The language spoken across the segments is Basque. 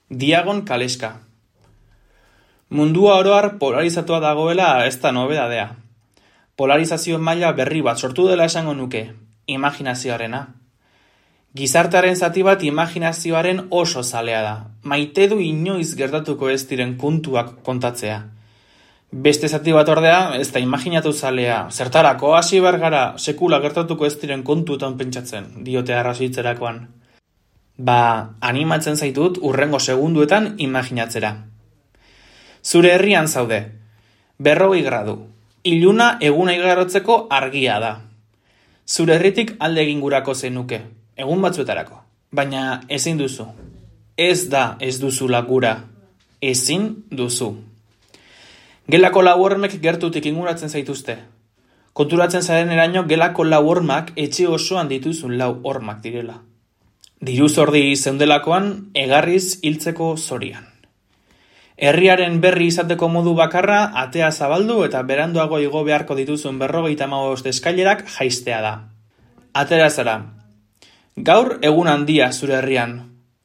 Diagon Kaleska. Mundua oroar polarizatua dagoela ez da nobedadea. Polarizazio maila berri bat sortu dela esango nuke, imaginazioarena. Gizartearen zati bat imaginazioaren oso zalea da. Maite du inoiz gertatuko ez diren kontuak kontatzea. Beste zati bat ordea ez da imaginatu zalea. Zertarako hasi bergara sekula gertatuko ez diren kontuetan pentsatzen, diote arrazoitzerakoan. Animatzen zaitut urrengo segunduetan imaginatzera. Zure herrian zaude. 40 gradu. Iluna eguna igarotzeko argia da. Zure herritik alde egingurako zenuke, egun batzuetarako. Baina ezin duzu. Ez duzula gura. Ezin duzu. Gelako lau hormek gertutik inguratzen zaituzte. Konturatzen zaren eraino gelako lau hormak etxe osoan dituzun lau hormak direla. Diru zordi zeundelakoan egarriz hiltzeko zorian. Herriaren berri izateko modu bakarra atea zabaldu eta beranduago igo beharko dituzun 55 eskailerak jaistea da. Atera zara. Gaur egun handia zure herrian.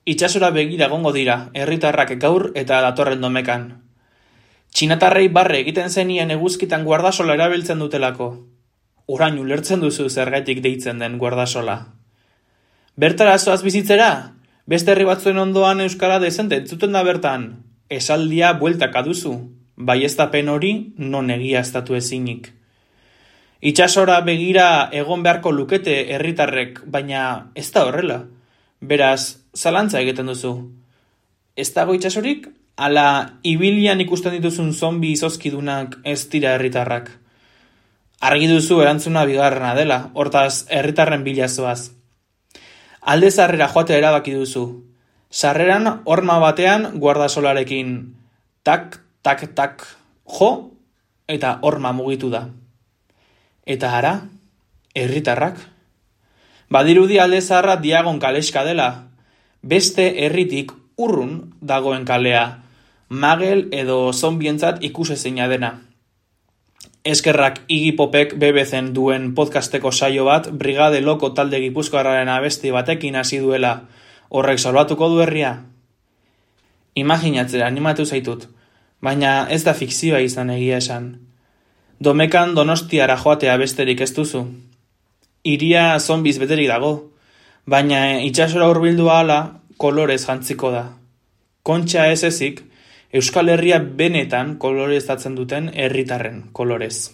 Itsasora begira egongo dira, herritarrak gaur eta datorren domekan. Txinatarrei barre egiten zenien eguzkitan guardasola erabiltzen dutelako. Orain ulertzen duzu zergaitik deitzen den guardasola. Bertara zoaz bizitzera? Beste herri batzuen ondoan euskara dezente entzuten da bertan. Esaldia bueltaka duzu, baieztapen hori non egiaztatu ezinik. Itsasora begira egon beharko lukete herritarrek, baina ez da horrela. Beraz, zalantza egiten duzu. Ez dago itsasorik? Ala ibilian ikusten dituzun zombi izozkidunak ez dira herritarrak. Argi duzu erantzuna bigarrena dela, hortaz herritarren bila zoaz. Alde zarrera joatea erabaki duzu. Sarreran horma batean guardasolarekin tak, tak, tak, jo, eta horma mugitu da. Eta ara, herritarrak. Badirudi alde zaharra Diagon Kaleska dela. Beste herritik urrun dagoen kalea, magel edo zombientzat ikusezina dena. Eskerrak Iggy Popek BBC-en duen podcasteko saio bat Brigade Loko talde gipuzkoarraren abesti batekin hasi duela. Horrek salbatuko du herria? Imaginatzera animatu zaitut, baina ez da fikzioa izan egia esan. Domekan Donostiara joatea besterik ez duzu. Hiria zombiz beterik dago, baina itsasora hurbildu ahala kolorez jantziko da. Kontxa ez ezik, Euskal Herria benetan koloreztatzen duten herritarren kolorez.